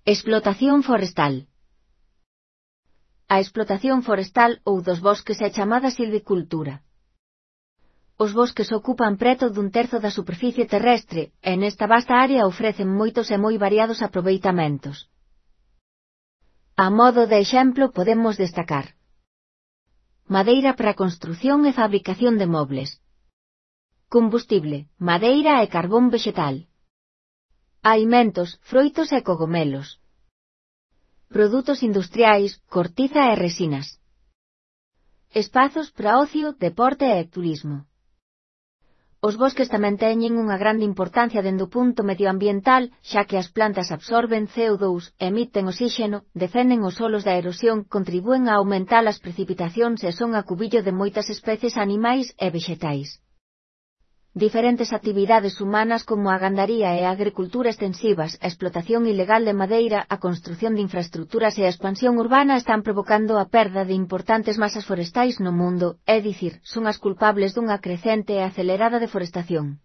Explotación forestal. A explotación forestal ou dos bosques é chamada silvicultura. Os bosques ocupan preto dun terzo da superficie terrestre, e nesta vasta área ofrecen moitos e moi variados aproveitamentos. A modo de exemplo podemos destacar madeira para construción e fabricación de mobles, combustible, madeira e carbón vegetal, alimentos, froitos e cogomelos, produtos industriais, cortiza e resinas, espazos para ocio, deporte e turismo. Os bosques tamén teñen unha grande importancia dende o punto medioambiental, xa que as plantas absorben CO2, emiten oxíxeno, defenden os solos da erosión, contribúen a aumentar as precipitacións e son acubillo de moitas especies animais e vexetais. Diferentes actividades humanas como a gandaría e a agricultura extensivas, a explotación ilegal de madeira, a construción de infraestructuras e a expansión urbana están provocando a perda de importantes masas forestais no mundo, é dicir, son as culpables dunha crecente e acelerada deforestación.